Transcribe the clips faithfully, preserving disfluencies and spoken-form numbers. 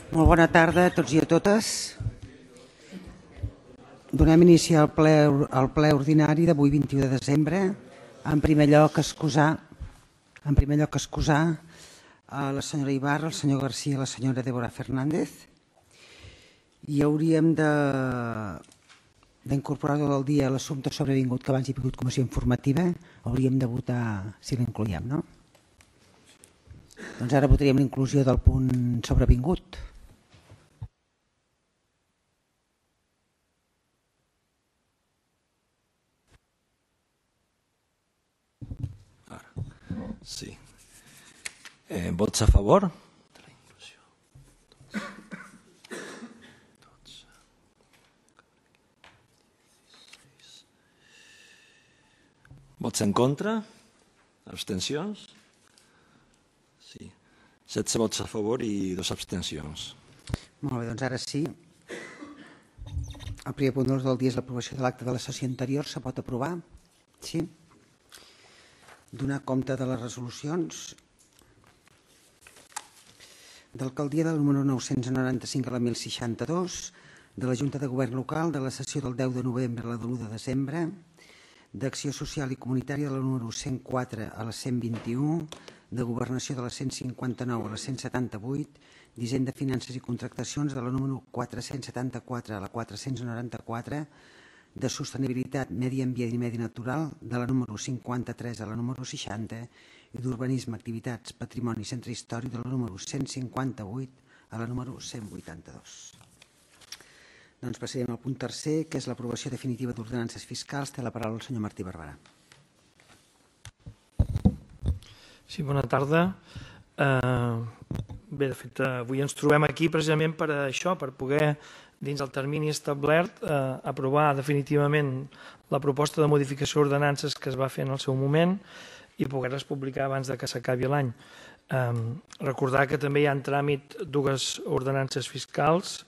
Molt bona tarda a tots i a totes. Donem inici al ple, al ple ordinari d'avui vint-i-u de desembre. En primer lloc, excusar, en primer lloc excusar a la senyora Ibarra, el senyor Garcia i la senyora Débora Fernández. I hauríem de d'incorporar tot el dia l'assumpte sobrevingut que abans hi ha hagut comissió informativa. Hauríem de votar si l'incloïem, no? Doncs ara votaríem l'inclusió del punt sobrevingut. Sí. Eh, vots a favor? De la inclusió. Vots en contra? Abstencions? Sí. setze vots a favor i dos abstencions. Molt bé, doncs ara sí. El primer punt de l'ordre del dia és l'aprovació de l'acte de la sessió anterior. Se pot aprovar? Sí. Donar compte de les resolucions. D'alcaldia del número nou-cents noranta-cinc a la mil seixanta-dos, de la Junta de Govern Local, de la sessió del deu de novembre a la de l'u de desembre, d'Acció Social i Comunitària de la número cent quatre a la cent vint-i-u, de Governació de la cent cinquanta-nou a la cent setanta-vuit, d'Hisenda, Finances i Contractacions de la número quatre-cents setanta-quatre a la quatre-cents noranta-quatre, de Sostenibilitat, Medi Ambient i Medi Natural de la número cinquanta-tres a la número seixanta i d'Urbanisme, Activitats, Patrimoni i Centre Històric de la número cent cinquanta-vuit a la número cent vuitanta-dos. Doncs passarem al punt tercer, que és l'aprovació definitiva d'ordenances fiscals. Té la paraula el senyor Martí Barberà. Sí, bona tarda. Uh, bé, de fet, avui ens trobem aquí precisament per això, per poder, dins el termini establert, eh, aprovar definitivament la proposta de modificació d'ordenances que es va fer en el seu moment i poder-les publicar abans de que s'acabi l'any. Eh, recordar que també hi ha en tràmit dues ordenances fiscals,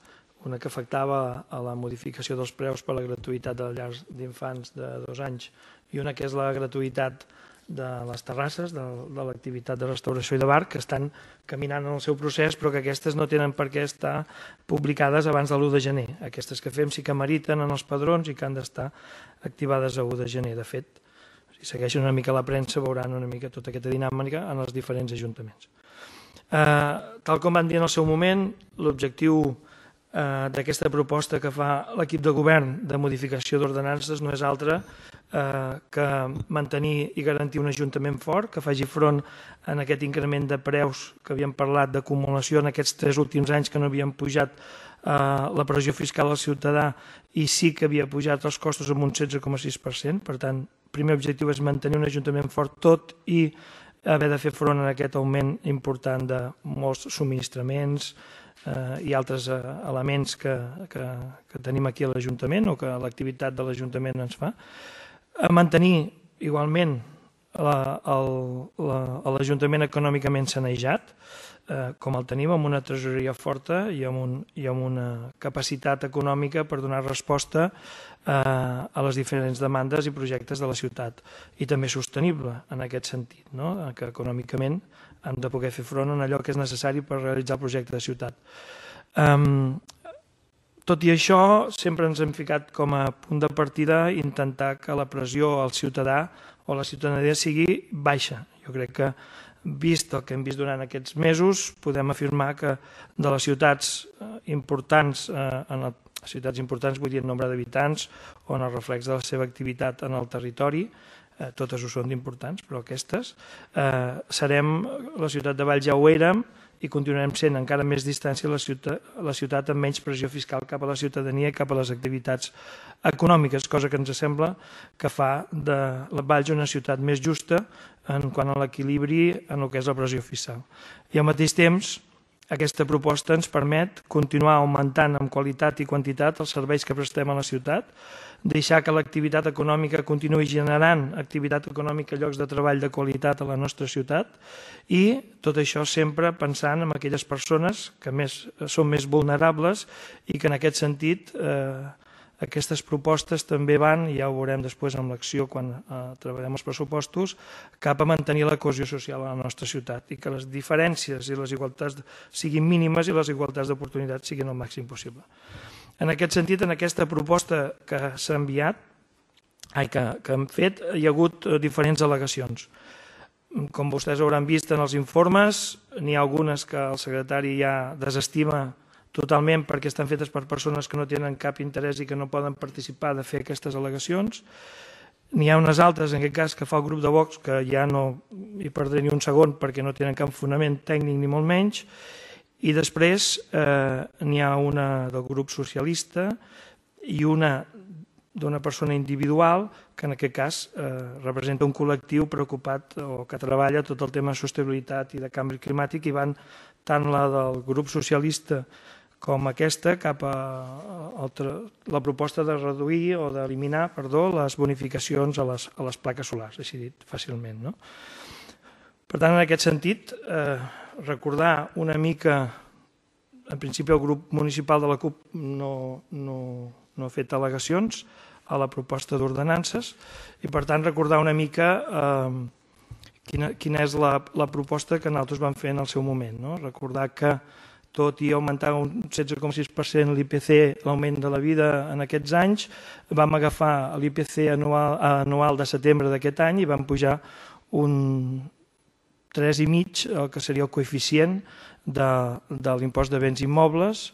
una que afectava a la modificació dels preus per a la gratuïtat de les llars d'infants de dos anys i una que és la gratuïtat de les terrasses, de, de l'activitat de restauració i de bar, que estan caminant en el seu procés, però que aquestes no tenen per què estar publicades abans de l'u de gener. Aquestes que fem sí que meriten en els padrons i que han d'estar activades a u de gener. De fet, si segueixen una mica la premsa, veuran una mica tota aquesta dinàmica en els diferents ajuntaments. Eh, tal com van dir en el seu moment, l'objectiu eh, d'aquesta proposta que fa l'equip de govern de modificació d'ordenances no és altre Eh, que mantenir i garantir un ajuntament fort, que faci front en aquest increment de preus que havíem parlat d'acumulació en aquests tres últims anys que no havien pujat eh, la pressió fiscal al ciutadà i sí que havia pujat els costos amb un setze coma sis per cent. Per tant, el primer objectiu és mantenir un ajuntament fort tot i haver de fer front a aquest augment important de molts subministraments eh, i altres eh, elements que, que, que tenim aquí a l'Ajuntament o que l'activitat de l'Ajuntament ens fa. A mantenir igualment l'Ajuntament econòmicament sanejat, eh, com el tenim, amb una tresoreria forta i amb, un, i amb una capacitat econòmica per donar resposta eh, a les diferents demandes i projectes de la ciutat. I també sostenible en aquest sentit, no? Que econòmicament hem de poder fer front en allò que és necessari per realitzar el projecte de ciutat. Um, Tot i això, sempre ens hem ficat com a punt de partida intentar que la pressió al ciutadà o la ciutadania sigui baixa. Jo crec que, vist el que hem vist durant aquests mesos, podem afirmar que de les ciutats importants, en les ciutats importants vull dir en nombre d'habitants o en el reflex de la seva activitat en el territori, totes ho són d'importants, però aquestes, serem, la ciutat de Valls ja ho érem, i continuarem sent encara més distància a la ciutat, a la ciutat amb menys pressió fiscal cap a la ciutadania i cap a les activitats econòmiques, cosa que ens sembla que fa de la Valls una ciutat més justa en quant a l'equilibri en el que és la pressió fiscal. I al mateix temps, aquesta proposta ens permet continuar augmentant en qualitat i quantitat els serveis que prestem a la ciutat, deixar que l'activitat econòmica continuï generant activitat econòmica i llocs de treball de qualitat a la nostra ciutat i tot això sempre pensant en aquelles persones que més, són més vulnerables i que en aquest sentit eh, aquestes propostes també van, i ja ho veurem després amb l'acció quan treballem els pressupostos, cap a mantenir la cohesió social a la nostra ciutat i que les diferències i les igualtats siguin mínimes i les igualtats d'oportunitats siguin el màxim possible. En aquest sentit, en aquesta proposta que s'ha enviat, ai, que, que hem fet, hi ha hagut diferents al·legacions. Com vostès hauran vist en els informes, n'hi ha algunes que el secretari ja desestima totalment perquè estan fetes per persones que no tenen cap interès i que no poden participar de fer aquestes al·legacions. N'hi ha unes altres, en aquest cas, que fa el grup de Vox, que ja no hi perdré ni un segon perquè no tenen cap fonament tècnic ni molt menys. I després eh, n'hi ha una del grup socialista i una d'una persona individual que en aquest cas eh, representa un col·lectiu preocupat o que treballa tot el tema de sostenibilitat i de canvi climàtic i van tant la del grup socialista com aquesta cap a, a, a la proposta de reduir o d'eliminar, perdó, les bonificacions a les, a les plaques solars, així dit fàcilment. No? Per tant, en aquest sentit, eh, recordar una mica, en principi el grup municipal de la CUP no, no, no ha fet al·legacions a la proposta d'ordenances i per tant recordar una mica eh, quina, quina és la, la proposta que nosaltres vam fer en el seu moment. No? Recordar que tot i augmentar un setze coma sis per cent l'I P C, l'augment de la vida en aquests anys, vam agafar l'I P C anual, anual de setembre d'aquest any i vam pujar un tres coma cinc, el que seria el coeficient de, de l'impost de béns immobles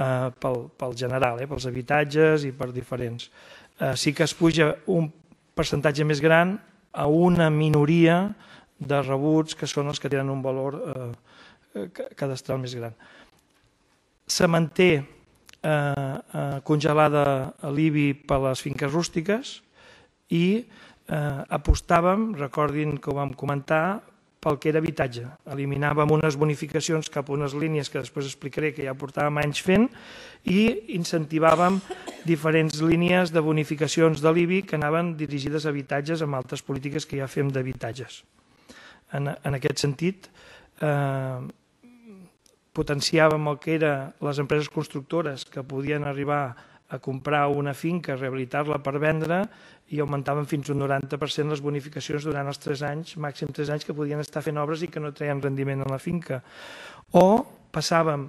eh, pel, pel general, eh, pels habitatges i per diferents. Eh, sí que es puja un percentatge més gran a una minoria de rebuts que són els que tenen un valor eh, cadastral més gran. Se manté eh, eh, congelada l'I B I per a les finques rústiques i eh, apostàvem, recordin que ho vam comentar, pel que era habitatge. Eliminàvem unes bonificacions cap a unes línies que després explicaré que ja portàvem anys fent i incentivàvem diferents línies de bonificacions de l'I B I que anaven dirigides a habitatges amb altres polítiques que ja fem d'habitatges. En, en aquest sentit, eh, potenciàvem el que eren les empreses constructores que podien arribar a comprar una finca, rehabilitar-la per vendre i augmentaven fins un noranta per cent les bonificacions durant els tres anys, màxim tres anys que podien estar fent obres i que no treien rendiment en la finca. O passàvem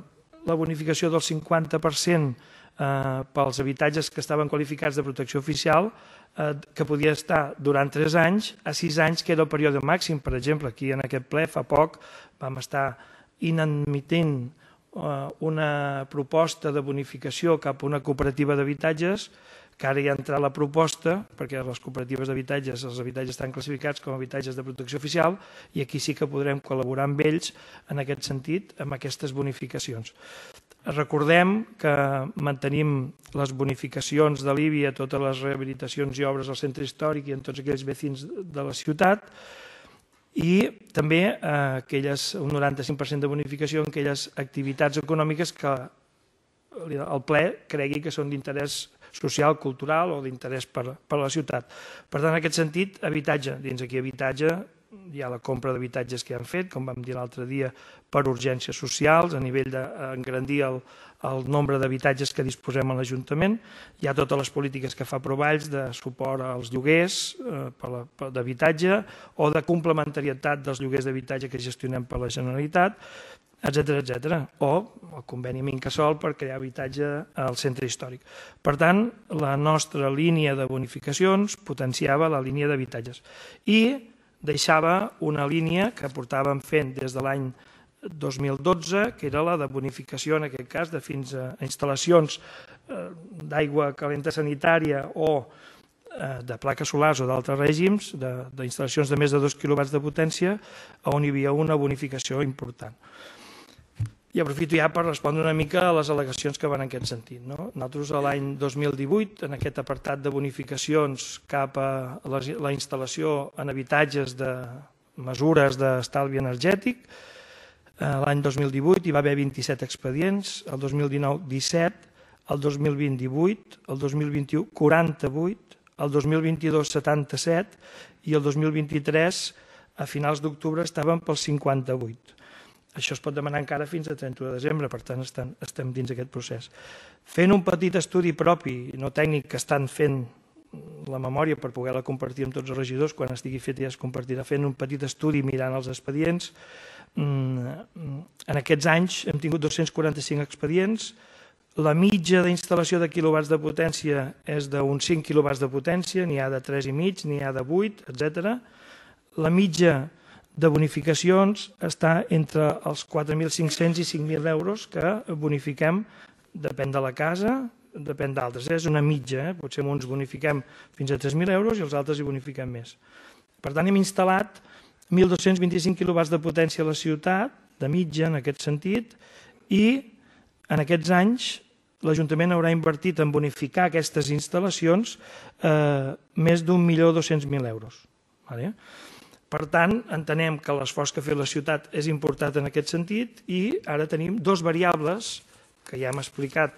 la bonificació del cinquanta per cent eh, pels habitatges que estaven qualificats de protecció oficial, eh, que podia estar durant tres anys a sis anys, que era el període màxim. Per exemple, aquí en aquest ple fa poc vam estar inadmitint una proposta de bonificació cap a una cooperativa d'habitatges, que ara hi ha entrat la proposta, perquè les cooperatives d'habitatges, els habitatges estan classificats com a habitatges de protecció oficial, i aquí sí que podrem col·laborar amb ells en aquest sentit, amb aquestes bonificacions. Recordem que mantenim les bonificacions de l'I B I a totes les rehabilitacions i obres al centre històric i en tots aquells vecins de la ciutat, i també eh, aquelles, un noranta cinc per cent de bonificació en aquelles activitats econòmiques que el ple cregui que són d'interès social, cultural o d'interès per, per a la ciutat. Per tant, en aquest sentit, habitatge. Dins aquí habitatge hi ha la compra d'habitatges que han fet, com vam dir l'altre dia, per urgències socials, a nivell d'engrandir el, el nombre d'habitatges que disposem a l'Ajuntament. Hi ha totes les polítiques que fa Provalls de suport als lloguers eh, d'habitatge o de complementarietat dels lloguers d'habitatge que gestionem per la Generalitat, etcètera, etcètera. O el conveni amb Incasòl per crear habitatge al centre històric. Per tant, la nostra línia de bonificacions potenciava la línia d'habitatges i deixava una línia que portàvem fent des de l'any dos mil dotze, que era la de bonificació, en aquest cas, de fins a instal·lacions d'aigua calenta sanitària o de plaques solars o d'altres règims, d'instal·lacions de més de dos quilowatts de potència, on hi havia una bonificació important. I aprofito ja per respondre una mica a les al·legacions que van en aquest sentit. Nosaltres l'any dos mil divuit, en aquest apartat de bonificacions cap a la instal·lació en habitatges de mesures d'estalvi energètic, l'any dos mil divuit hi va haver vint-i-set expedients, el dos mil dinou disset, el dos mil vint divuit, el dos mil vint-i-u quaranta-vuit, el dos mil vint-i-dos setanta-set i el dos mil vint-i-tres a finals d'octubre estaven pels cinquanta-vuit. Això es pot demanar encara fins a trenta-u de desembre, per tant estem dins d'aquest procés. Fent un petit estudi propi, no tècnic, que estan fent la memòria per poder-la compartir amb tots els regidors, quan estigui fet ja es compartirà, fent un petit estudi mirant els expedients. En aquests anys hem tingut dos-cents quaranta-cinc expedients, la mitja d'instal·lació de quilowatts de potència és d'uns cinc quilowatts de potència, n'hi ha de tres i mig, n'hi ha de vuit, etcètera. La mitja de bonificacions està entre els quatre mil cinc-cents i cinc mil euros que bonifiquem, depèn de la casa, depèn d'altres, és una mitja, eh? Potser uns bonifiquem fins a tres mil euros i els altres hi bonifiquem més. Per tant, hem instal·lat mil dos-cents vint-i-cinc quilowatts de potència a la ciutat, de mitja en aquest sentit, i en aquests anys l'Ajuntament haurà invertit en bonificar aquestes instal·lacions eh, més d'un milió dos-cents mil euros. Vale? Per tant, entenem que l'esforç que ha fet la ciutat és important en aquest sentit i ara tenim dos variables que ja hem explicat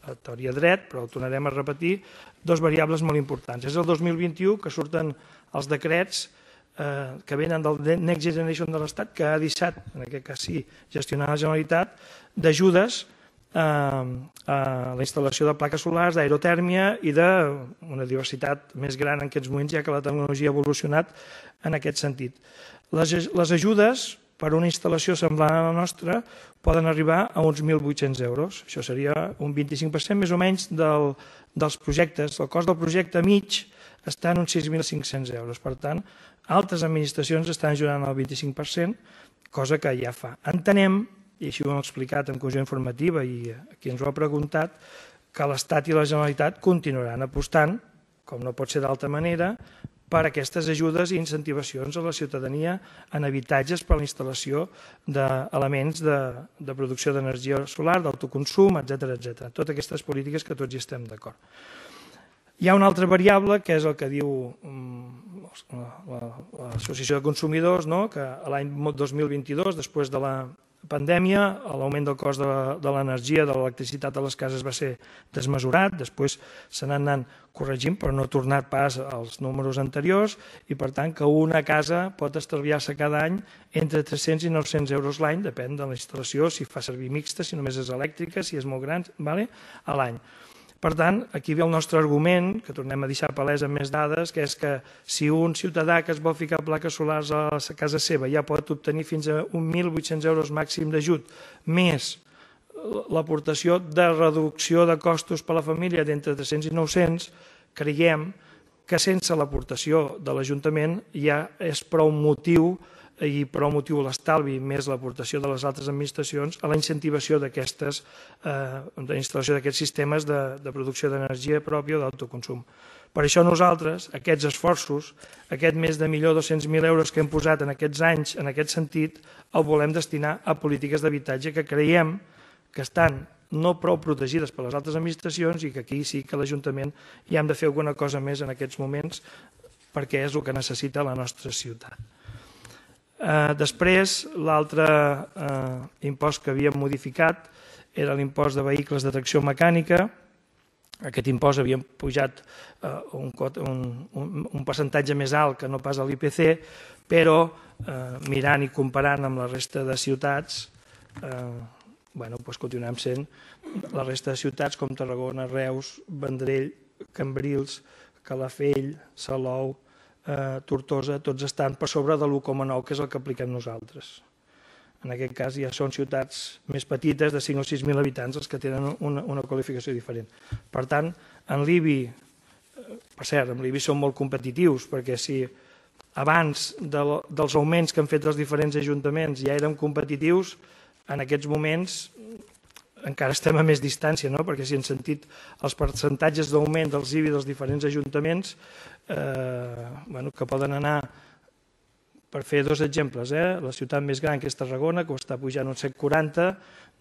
a teoria dret, però ho tornarem a repetir, dos variables molt importants. És el dos mil vint-i-u que surten els decrets eh, que venen del Next Generation de l'Estat, que ha deixat, en aquest cas sí, gestionar la Generalitat, d'ajudes eh, a la instal·lació de plaques solars, d'aerotèrmia i d'una diversitat més gran en aquests moments, ja que la tecnologia ha evolucionat en aquest sentit. Les, les ajudes per una instal·lació semblant a la nostra poden arribar a uns mil vuit-cents euros. Això seria un vint-i-cinc per cent més o menys del, dels projectes. El cost del projecte mig està en uns sis mil cinc-cents euros. Per tant, altres administracions estan ajudant al vint-i-cinc per cent, cosa que ja fa. Entenem, i així ho hem explicat en comissió informativa i qui ens ho ha preguntat, que l'Estat i la Generalitat continuaran apostant, com no pot ser d'altra manera, per aquestes ajudes i incentivacions a la ciutadania en habitatges per a la instal·lació d'elements de, de producció d'energia solar, d'autoconsum, etcètera, etcètera. Totes aquestes polítiques que tots hi estem d'acord. Hi ha una altra variable, que és el que diu l'Associació de Consumidors, no? Que l'any dos mil vint-i-dos, després de la pandèmia, l'augment del cost de l'energia, de l'electricitat a les cases va ser desmesurat, després se n'han anat corregint, però no ha tornat pas als números anteriors i, per tant, que una casa pot estalviar-se cada any entre tres-cents i nou-cents euros l'any, depèn de la instal·lació, si fa servir mixta, si només és elèctrica, si és molt gran, vale? A l'any. Per tant, aquí ve el nostre argument, que tornem a deixar palès amb més dades, que és que si un ciutadà que es vol ficar plaques solars a la casa seva ja pot obtenir fins a mil vuit-cents euros màxim d'ajut, més l'aportació de reducció de costos per a la família d'entre tres-cents i nou-cents, creiem que sense l'aportació de l'Ajuntament ja és prou motiu i prou motiu l'estalvi més l'aportació de les altres administracions a la incentivació d'aquestes, eh, de la instal·lació d'aquests sistemes de, de producció d'energia pròpia o d'autoconsum. Per això nosaltres, aquests esforços, aquest més de un milió dos-cents mil euros que hem posat en aquests anys, en aquest sentit, el volem destinar a polítiques d'habitatge que creiem que estan no prou protegides per les altres administracions i que aquí sí que l'Ajuntament hi hem de fer alguna cosa més en aquests moments perquè és el que necessita la nostra ciutat. Eh, després, l'altre eh, impost que havíem modificat era l'impost de vehicles de tracció mecànica. Aquest impost havíem pujat eh, un, un, un, un percentatge més alt que no pas a l'I P C, però eh, mirant i comparant amb la resta de ciutats, eh, bueno, doncs continuem sent la resta de ciutats com Tarragona, Reus, Vendrell, Cambrils, Calafell, Salou, Eh, Tortosa, tots estan per sobre de l'u coma nou, que és el que apliquem nosaltres. En aquest cas ja són ciutats més petites, de cinc o sis mil habitants, els que tenen una, una qualificació diferent. Per tant, en l'I B I, per cert, en l'I B I som molt competitius, perquè si abans de, dels augments que han fet els diferents ajuntaments ja érem competitius, en aquests moments encara estem a més distància, no? Perquè si hem sentit els percentatges d'augment dels I B I dels diferents ajuntaments, eh, bueno, que poden anar, per fer dos exemples, eh? La ciutat més gran, que és Tarragona, que ho està pujant un set coma quaranta,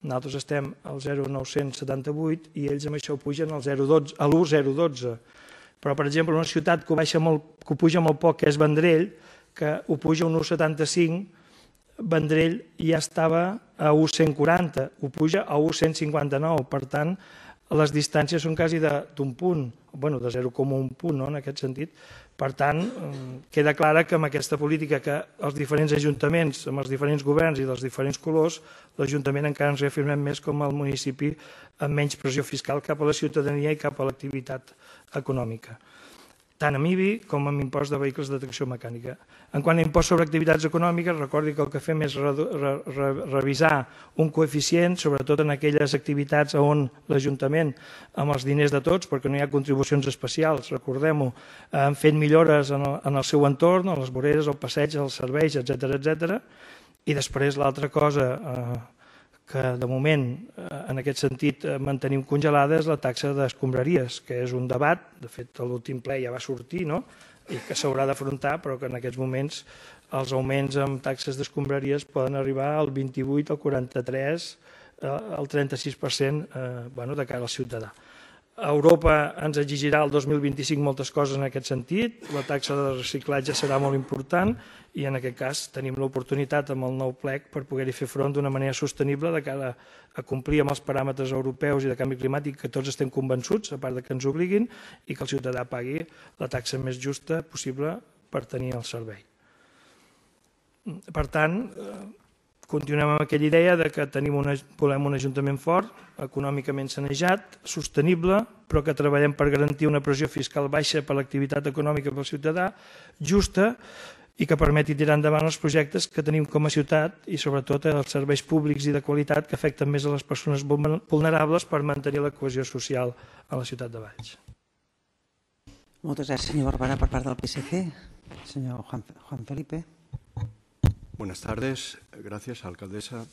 nosaltres estem al zero coma nou-cents setanta-vuit i ells amb això pugen al l'u coma zero dotze. Però, per exemple, una ciutat que ho, baixa molt, que ho puja molt poc, que és Vendrell, que ho puja un un coma setanta-cinc, Vendrell ja estava a un coma cent quaranta, ho puja a un coma cent cinquanta-nou, per tant, les distàncies són quasi d'un punt, bueno, de zero coma un punt, no?, en aquest sentit. Per tant, queda clara que amb aquesta política que els diferents ajuntaments, amb els diferents governs i dels diferents colors, l'Ajuntament encara ens reafirmem més com el municipi amb menys pressió fiscal cap a la ciutadania i cap a l'activitat econòmica, tant amb I B I com amb impost de vehicles de tracció mecànica. En quant a impost sobre activitats econòmiques, recordi que el que fem és revisar un coeficient, sobretot en aquelles activitats on l'Ajuntament, amb els diners de tots, perquè no hi ha contribucions especials, recordem-ho, han fet millores en el seu entorn, a les voreres, al passeig, als serveis, etcètera, etcètera. I després l'altra cosa que de moment, en aquest sentit, mantenim congelada és la taxa d'escombraries, que és un debat, de fet l'últim ple ja va sortir, no?, i que s'haurà d'afrontar, però que en aquests moments els augments en taxes d'escombraries poden arribar al vint-i-vuit, al quaranta-tres, al trenta-sis per cent de cara al ciutadà. Europa ens exigirà el dos mil vint-i-cinc moltes coses en aquest sentit, la taxa de reciclatge serà molt important i en aquest cas tenim l'oportunitat amb el nou plec per poder-hi fer front d'una manera sostenible de cara a complir amb els paràmetres europeus i de canvi climàtic que tots estem convençuts, a part que ens obliguin, i que el ciutadà pagui la taxa més justa possible per tenir el servei. Per tant, continuem amb aquella idea de que volem un ajuntament fort, econòmicament sanejat, sostenible, però que treballem per garantir una pressió fiscal baixa per l'activitat econòmica pel ciutadà, justa i que permeti tirar endavant els projectes que tenim com a ciutat i sobretot els serveis públics i de qualitat que afecten més a les persones vulnerables per mantenir la cohesió social a la ciutat de Valls. Moltes gràcies, senyor Barberà, per part del P S C. Senyor Juan Felipe. Buenas tardes. Gracias, alcaldesa.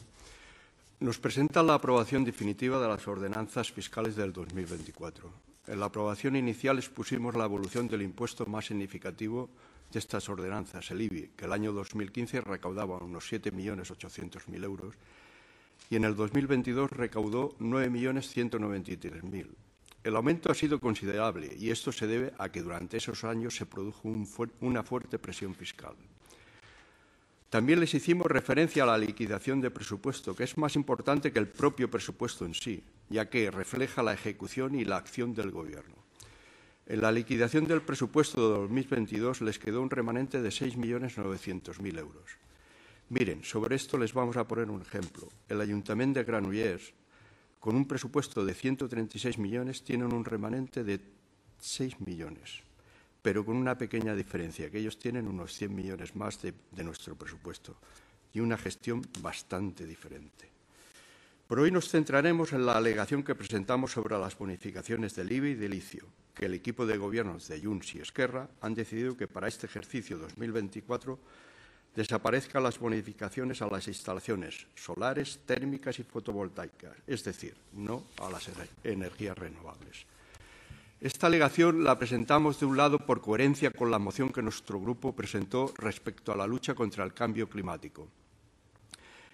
Nos presenta la aprobación definitiva de las ordenanzas fiscales del dos mil veinticuatro. En la aprobación inicial expusimos la evolución del impuesto más significativo de estas ordenanzas, el I B I, que el año dos mil quince recaudaba unos siete millones ochocientos mil euros y en el dos mil veintidós recaudó nueve millones ciento noventa y tres mil. El aumento ha sido considerable y esto se debe a que durante esos años se produjo un fu- una fuerte presión fiscal. También les hicimos referencia a la liquidación de presupuesto, que es más importante que el propio presupuesto en sí, ya que refleja la ejecución y la acción del Gobierno. En la liquidación del presupuesto de dos mil veintidós les quedó un remanente de seis millones novecientos mil euros. Miren, sobre esto les vamos a poner un ejemplo. El Ayuntamiento de Granollers, con un presupuesto de ciento treinta y seis millones, tienen un remanente de seis millones. Pero con una pequeña diferencia, que ellos tienen unos cien millones más de, de nuestro presupuesto y una gestión bastante diferente. Por hoy nos centraremos en la alegación que presentamos sobre las bonificaciones del I B I y del ICIO, que el equipo de gobiernos de Junts y Esquerra han decidido que para este ejercicio dos mil veinticuatro desaparezcan las bonificaciones a las instalaciones solares, térmicas y fotovoltaicas, es decir, no a las energías renovables. Esta alegación la presentamos de un lado por coherencia con la moción que nuestro grupo presentó respecto a la lucha contra el cambio climático,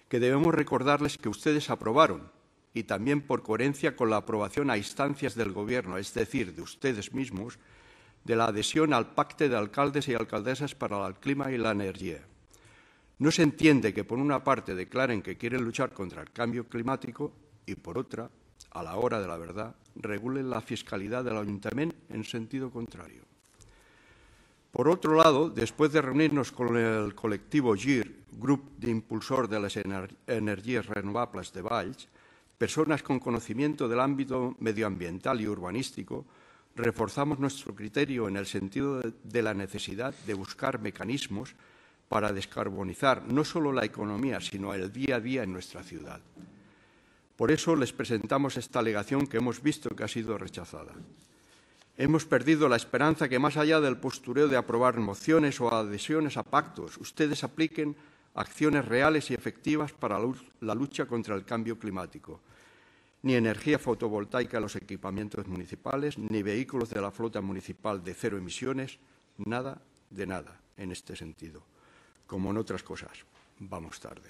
que debemos recordarles que ustedes aprobaron, y también por coherencia con la aprobación a instancias del Gobierno, es decir, de ustedes mismos, de la adhesión al Pacto de Alcaldes y Alcaldesas para el Clima y la Energía. No se entiende que por una parte declaren que quieren luchar contra el cambio climático y por otra, a la hora de la verdad, regulen la fiscalidad del Ayuntamiento en sentido contrario. Por otro lado, después de reunirnos con el colectivo G I R, Grupo de Impulsor de las Ener- Energías Renovables de Valls, personas con conocimiento del ámbito medioambiental y urbanístico, reforzamos nuestro criterio en el sentido de, de la necesidad de buscar mecanismos para descarbonizar no solo la economía, sino el día a día en nuestra ciudad. Por eso les presentamos esta alegación que hemos visto que ha sido rechazada. Hemos perdido la esperanza que más allá del postureo de aprobar mociones o adhesiones a pactos, ustedes apliquen acciones reales y efectivas para la lucha contra el cambio climático. Ni energía fotovoltaica en los equipamientos municipales, ni vehículos de la flota municipal de cero emisiones, nada de nada en este sentido. Como en otras cosas, vamos tarde.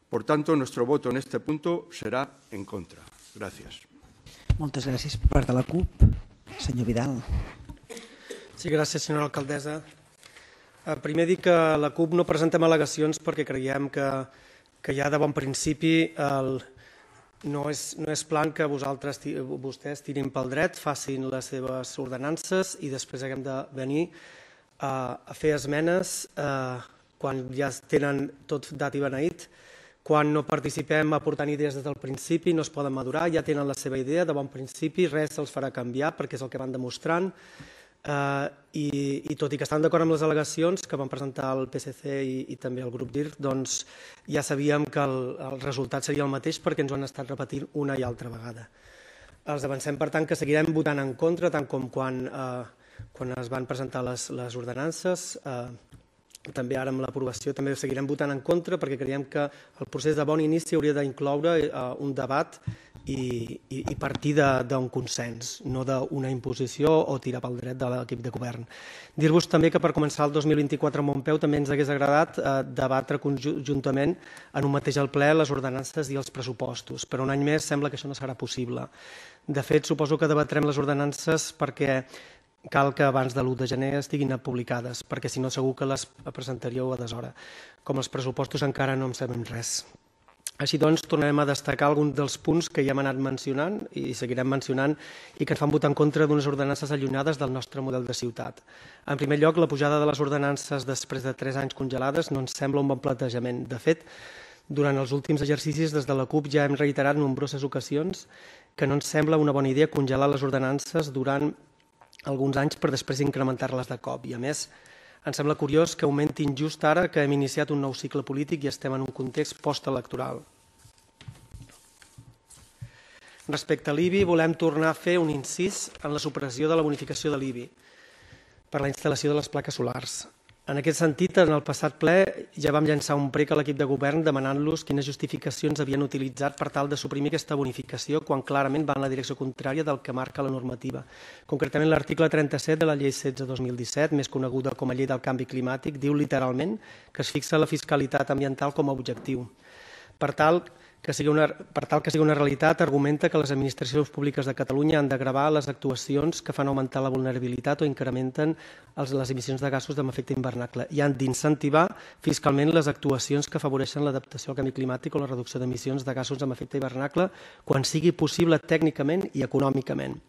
Por tanto, nuestro voto en este punto será en contra. Gracias. Moltes gràcies per part de la CUP. Senyor Vidal. Sí, gràcies, senyora alcaldessa. Primer dir que la CUP no presentem al·legacions perquè creiem que, que ja de bon principi el, no és, no és plan que vosaltres, vostès tirin pel dret, facin les seves ordenances i després haguem de venir a, a fer esmenes eh, quan ja tenen tot dat i beneït. Quan no participem aportant idees des del principi, no es poden madurar, ja tenen la seva idea de bon principi, res se'ls farà canviar perquè és el que van demostrant. Eh, i, I tot i que estan d'acord amb les al·legacions que van presentar el P S C i, i també el grup D I R C, doncs ja sabíem que el, el resultat seria el mateix perquè ens ho han estat repetint una i altra vegada. Els avancem, per tant, que seguirem votant en contra, tant com quan, eh, quan es van presentar les, les ordenances, eh, també ara amb l'aprovació també seguirem votant en contra perquè creiem que el procés de bon inici hauria d'incloure uh, un debat i, i, i partir d'un consens, no d'una imposició o tirar pel dret de l'equip de govern. Dir-vos també que per començar el dos mil vint-i-quatre a Montpeu també ens hagués agradat uh, debatre conjuntament en un mateix al ple les ordenances i els pressupostos, però un any més sembla que això no serà possible. De fet, suposo que debatrem les ordenances perquè cal que abans de l'u de gener estiguin publicades, perquè si no segur que les presentaríeu a deshora. Com els pressupostos encara no en sabem res. Així doncs, tornarem a destacar alguns dels punts que ja hem anat mencionant i seguirem mencionant i que ens fan votar en contra d'unes ordenances allunyades del nostre model de ciutat. En primer lloc, la pujada de les ordenances després de tres anys congelades no ens sembla un bon plantejament. De fet, durant els últims exercicis des de la CUP ja hem reiterat en nombroses ocasions que no ens sembla una bona idea congelar les ordenances durant alguns anys per després incrementar-les de cop. I a més, ens sembla curiós que augmentin just ara que hem iniciat un nou cicle polític i estem en un context postelectoral. Respecte a l'I B I, volem tornar a fer un incís en la supressió de la bonificació de l'I B I per la instal·lació de les plaques solars. En aquest sentit, en el passat ple ja vam llançar un prec a l'equip de govern demanant-los quines justificacions havien utilitzat per tal de suprimir aquesta bonificació quan clarament va en la direcció contrària del que marca la normativa. Concretament, l'article trenta-set de la llei setze dos mil disset, més coneguda com a llei del canvi climàtic, diu literalment que es fixa la fiscalitat ambiental com a objectiu. Per tal que sigui una, per tal que sigui una realitat, argumenta que les administracions públiques de Catalunya han de gravar les actuacions que fan augmentar la vulnerabilitat o incrementen els, les emissions de gasos amb efecte hivernacle i han d'incentivar fiscalment les actuacions que afavoreixen l'adaptació al canvi climàtic o la reducció d'emissions de gasos amb efecte hivernacle quan sigui possible tècnicament i econòmicament.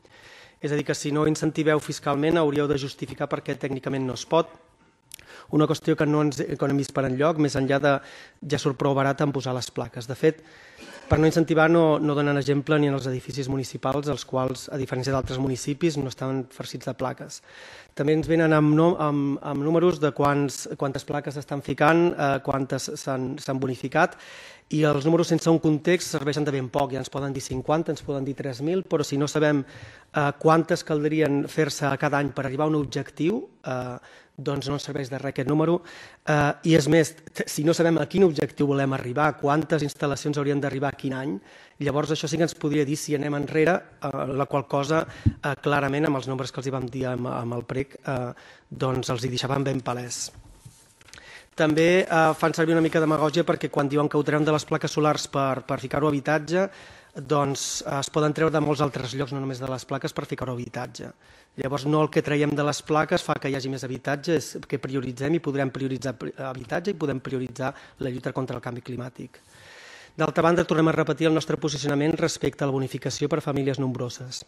És a dir, que si no incentiveu fiscalment hauríeu de justificar per què tècnicament no es pot. Una qüestió que no ens que no hem vist per enlloc, més enllà de ja surt prou barat en posar les plaques. De fet, per no incentivar no, no donen exemple ni en els edificis municipals, els quals, a diferència d'altres municipis, no estan farcits de plaques. També ens venen amb, no, amb, amb números de quants, quantes plaques s'estan ficant, eh, quantes s'han bonificat, i els números sense un context serveixen de ben poc. Ja ens poden dir cinquanta, ens poden dir tres mil, però si no sabem eh, quantes caldrien fer-se cada any per arribar a un objectiu, eh, doncs no ens serveix de res aquest número. Eh, I és més, si no sabem a quin objectiu volem arribar, quantes instal·lacions haurien d'arribar a quin any, llavors això sí que ens podria dir si anem enrere, eh, la qual cosa eh, clarament amb els nombres que els hi vam dir amb, amb el prec, eh, doncs els hi deixaven ben palès. També eh, fan servir una mica de demagògia perquè quan diuen que ho traiem de les plaques solars per, per ficar-ho a habitatge, doncs es poden treure de molts altres llocs, no només de les plaques, per ficar-ho a habitatge. Llavors, no el que traiem de les plaques fa que hi hagi més habitatge, és que prioritzem i podrem prioritzar habitatge i podem prioritzar la lluita contra el canvi climàtic. D'altra banda, tornem a repetir el nostre posicionament respecte a la bonificació per a famílies nombroses.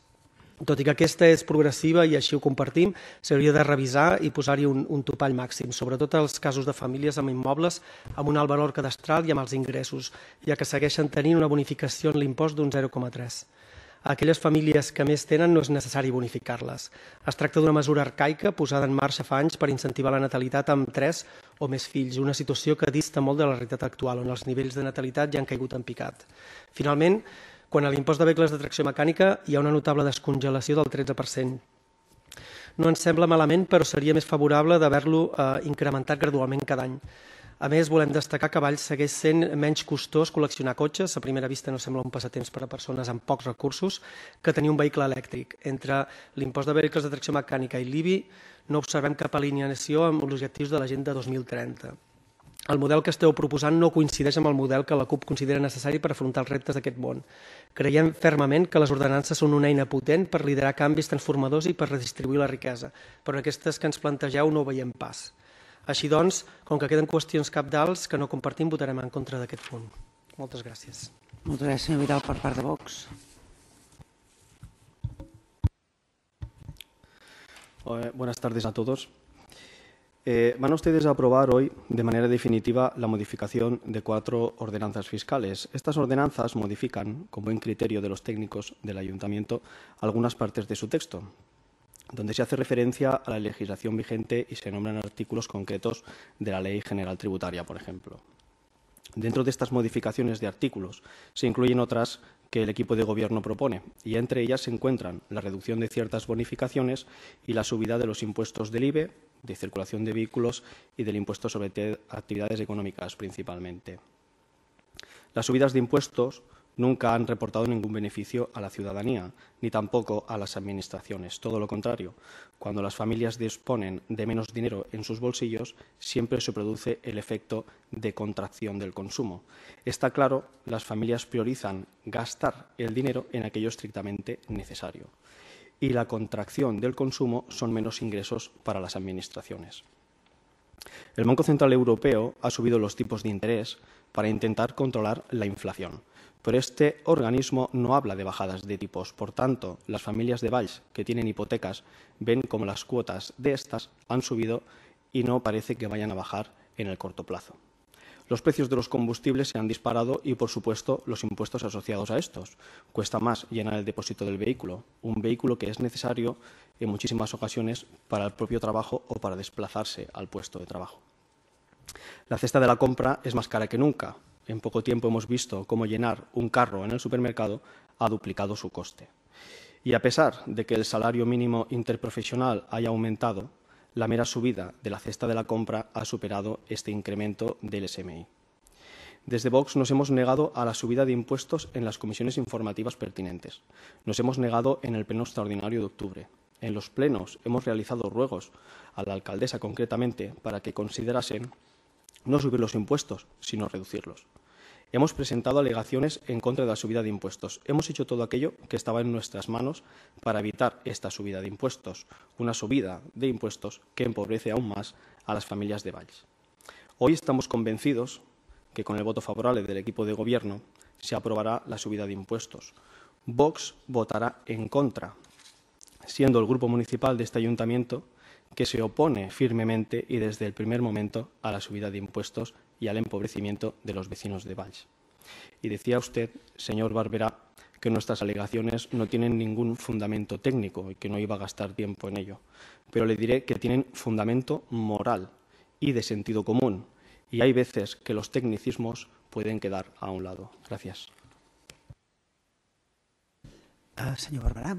Tot i que aquesta és progressiva i així ho compartim, s'hauria de revisar i posar-hi un, un topall màxim, sobretot als casos de famílies amb immobles amb un alt valor cadastral i amb els ingressos, ja que segueixen tenint una bonificació en l'impost d'un zero coma tres. A aquelles famílies que més tenen no és necessari bonificar-les. Es tracta d'una mesura arcaica posada en marxa fa anys per incentivar la natalitat amb tres o més fills, una situació que dista molt de la realitat actual, on els nivells de natalitat ja han caigut en picat. Finalment, quan a l'impost de vehicles de tracció mecànica hi ha una notable descongelació del tretze per cent. No ens sembla malament, però seria més favorable d'haver-lo eh, incrementat gradualment cada any. A més, volem destacar que a Valls segueix sent menys costós col·leccionar cotxes, a primera vista no sembla un passatemps per a persones amb pocs recursos, que tenir un vehicle elèctric. Entre l'impost de vehicles de tracció mecànica i l'I B I no observem cap alineació amb els objectius de l'Agenda dos mil trenta. El model que esteu proposant no coincideix amb el model que la CUP considera necessari per afrontar els reptes d'aquest món. Creiem fermament que les ordenances són una eina potent per liderar canvis transformadors i per redistribuir la riquesa, però aquestes que ens plantegeu no ho veiem pas. Així doncs, com que queden qüestions cabdals que no compartim, votarem en contra d'aquest punt. Moltes gràcies. Moltes gràcies, senyor Vidal, per part de Vox. Buenas tardes a todos. Eh, van ustedes a aprobar hoy de manera definitiva la modificación de cuatro ordenanzas fiscales. Estas ordenanzas modifican, con buen criterio de los técnicos del Ayuntamiento, algunas partes de su texto, donde se hace referencia a la legislación vigente y se nombran artículos concretos de la Ley General Tributaria, por ejemplo. Dentro de estas modificaciones de artículos se incluyen otras que el equipo de Gobierno propone, y entre ellas se encuentran la reducción de ciertas bonificaciones y la subida de los impuestos del I B E, de circulación de vehículos y del impuesto sobre actividades económicas principalmente. Las subidas de impuestos nunca han reportado ningún beneficio a la ciudadanía, ni tampoco a las administraciones. Todo lo contrario, cuando las familias disponen de menos dinero en sus bolsillos, siempre se produce el efecto de contracción del consumo. Está claro, las familias priorizan gastar el dinero en aquello estrictamente necesario. Y la contracción del consumo son menos ingresos para las administraciones. El Banco Central Europeo ha subido los tipos de interés para intentar controlar la inflación. Pero este organismo no habla de bajadas de tipos. Por tanto, las familias de Valls que tienen hipotecas ven como las cuotas de estas han subido y no parece que vayan a bajar en el corto plazo. Los precios de los combustibles se han disparado y, por supuesto, los impuestos asociados a estos. Cuesta más llenar el depósito del vehículo, un vehículo que es necesario en muchísimas ocasiones para el propio trabajo o para desplazarse al puesto de trabajo. La cesta de la compra es más cara que nunca. En poco tiempo hemos visto cómo llenar un carro en el supermercado ha duplicado su coste. Y a pesar de que el salario mínimo interprofesional haya aumentado, la mera subida de la cesta de la compra ha superado este incremento del S M I. Desde Vox nos hemos negado a la subida de impuestos en las comisiones informativas pertinentes. Nos hemos negado en el pleno extraordinario de octubre. En los plenos hemos realizado ruegos a la alcaldesa concretamente para que considerasen no subir los impuestos, sino reducirlos. Hemos presentado alegaciones en contra de la subida de impuestos. Hemos hecho todo aquello que estaba en nuestras manos para evitar esta subida de impuestos, una subida de impuestos que empobrece aún más a las familias de Valls. Hoy estamos convencidos que con el voto favorable del equipo de Gobierno se aprobará la subida de impuestos. Vox votará en contra, siendo el grupo municipal de este ayuntamiento que se opone firmemente y desde el primer momento a la subida de impuestos y al empobrecimiento de los vecinos de Valls. Y decía usted, señor Barberá, que nuestras alegaciones no tienen ningún fundamento técnico y que no iba a gastar tiempo en ello. Pero le diré que tienen fundamento moral y de sentido común. Y hay veces que los tecnicismos pueden quedar a un lado. Gracias. Uh, senyor Barberà.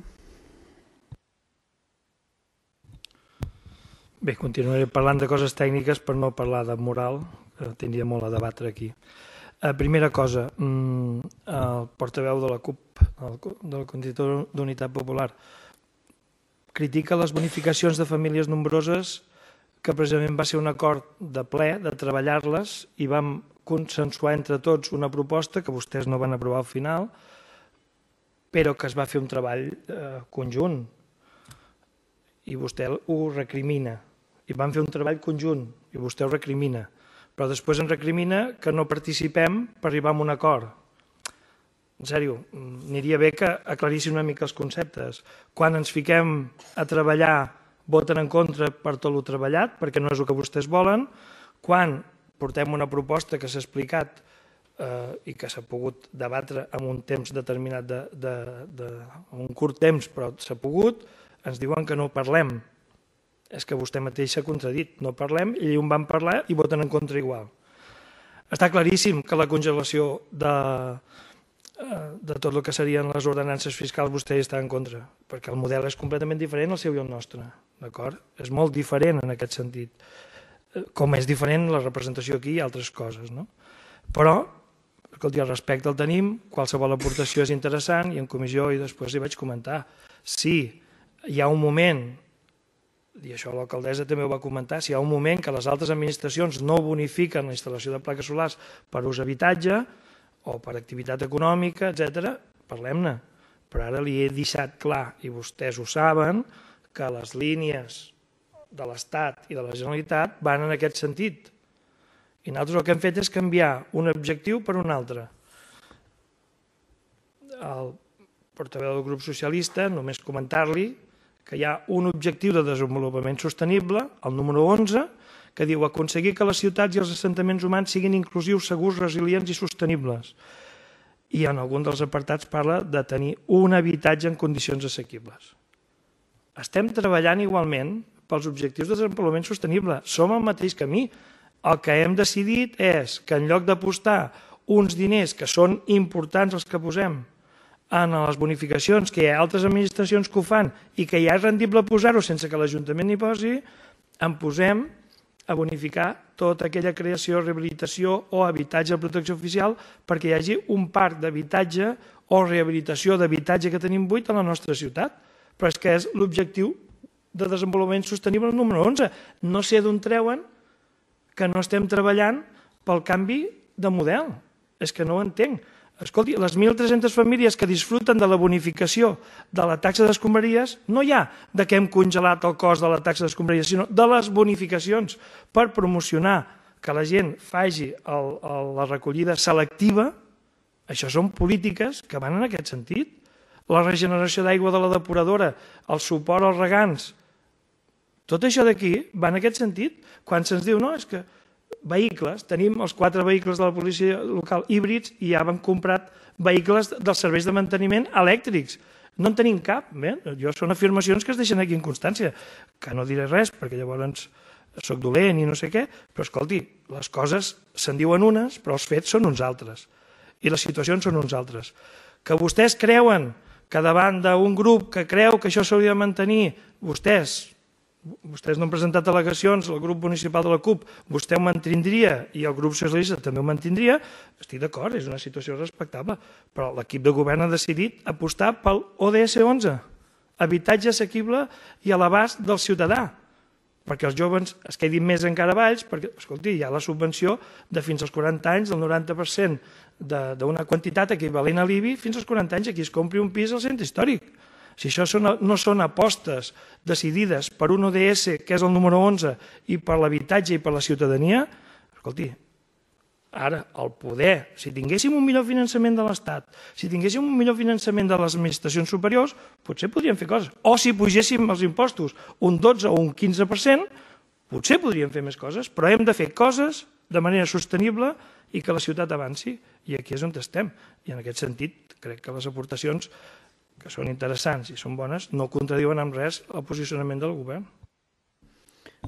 Bé, continuaré parlant de coses tècniques per no parlar de moral, que tindria molt a debatre aquí. Eh, primera cosa, el portaveu de la C U P, de la Comissió d'Unitat Popular, critica les bonificacions de famílies nombroses, que precisament va ser un acord de ple de treballar-les i vam consensuar entre tots una proposta que vostès no van aprovar al final, però que es va fer un treball eh, conjunt i vostè ho recrimina. I vam fer un treball conjunt i vostè ho recrimina, però després ens recrimina que no participem per arribar a un acord. En sèrio, aniria bé que aclarissin una mica els conceptes. Quan ens fiquem a treballar, voten en contra per tot el treballat, perquè no és el que vostès volen. Quan portem una proposta que s'ha explicat eh, i que s'ha pogut debatre en un temps determinat, de, de, de, en un curt temps, però s'ha pogut, ens diuen que no parlem. És que vostè mateix s'ha contradit. No parlem, i on van parlar i voten en contra igual. Està claríssim que la congelació de, de tot el que serien les ordenances fiscals vostè està en contra, perquè el model és completament diferent al seu i el nostre. D'acord? És molt diferent en aquest sentit. Com és diferent la representació aquí i altres coses. No? Però, escolti, el respecte el tenim, qualsevol aportació és interessant i en comissió i després hi vaig comentar. Sí, hi ha un moment, i això l'alcaldessa també ho va comentar, si hi ha un moment que les altres administracions no bonifiquen la instal·lació de plaques solars per ús habitatge o per activitat econòmica, etcètera, parlem-ne. Però ara li he deixat clar, i vostès ho saben, que les línies de l'Estat i de la Generalitat van en aquest sentit. I nosaltres el que hem fet és canviar un objectiu per un altre. al portaveu del grup socialista només comentar-li que hi ha un objectiu de desenvolupament sostenible, el número onze, que diu aconseguir que les ciutats i els assentaments humans siguin inclusius, segurs, resilients i sostenibles. I en algun dels apartats parla de tenir un habitatge en condicions assequibles. Estem treballant igualment pels objectius de desenvolupament sostenible. Som al mateix camí. El que hem decidit és que en lloc d'apostar uns diners que són importants els que posem en les bonificacions, que hi ha altres administracions que ho fan i que ja és rendible posar-ho sense que l'Ajuntament hi posi, en posem a bonificar tota aquella creació, rehabilitació o habitatge de protecció oficial perquè hi hagi un parc d'habitatge o rehabilitació d'habitatge que tenim buit a la nostra ciutat. Però és que és l'objectiu de desenvolupament sostenible número onze. No sé d'on treuen que no estem treballant pel canvi de model. És que no ho entenc. Escolti, les mil tres-centes famílies que disfruten de la bonificació de la taxa d'escombraries, no hi ha de que hem congelat el cost de la taxa d'escombraries, sinó de les bonificacions per promocionar que la gent faci el, el, la recollida selectiva. Això són polítiques que van en aquest sentit. La regeneració d'aigua de la depuradora, el suport als regants, tot això d'aquí va en aquest sentit. Quan se'ns diu, no, és que vehicles, tenim els quatre vehicles de la policia local híbrids i ja hem comprat vehicles dels serveis de manteniment elèctrics. No en tenim cap. Bé, jo són afirmacions que es deixen aquí en constància, que no diré res perquè llavors soc dolent i no sé què, però escolti, les coses se'n diuen unes, però els fets són uns altres i les situacions són uns altres. Que vostès creuen que davant d'un grup que creu que això s'hauria de mantenir, vostès vostès no han presentat al·legacions, el grup municipal de la CUP, vostè ho mantindria i el grup socialista també ho mantindria, estic d'acord, és una situació respectable, però l'equip de govern ha decidit apostar pel O D S onze, habitatge assequible i a l'abast del ciutadà, perquè els joves es quedin més encara valls, perquè, escolti, hi ha la subvenció de fins als quaranta anys, del noranta per cent d'una quantitat equivalent a l'I B I, fins als quaranta anys, aquí es compri un pis al centre històric. Si això no són apostes decidides per un O D S, que és el número onze, i per l'habitatge i per la ciutadania, escolti, ara, el poder, si tinguéssim un millor finançament de l'Estat, si tinguéssim un millor finançament de les administracions superiors, potser podríem fer coses. O si pugéssim els impostos un dotze o un quinze per cent, potser podríem fer més coses, però hem de fer coses de manera sostenible i que la ciutat avanci. I aquí és on estem. I en aquest sentit, crec que les aportacions que són interessants i són bones, no contradiuen amb res el posicionament del govern.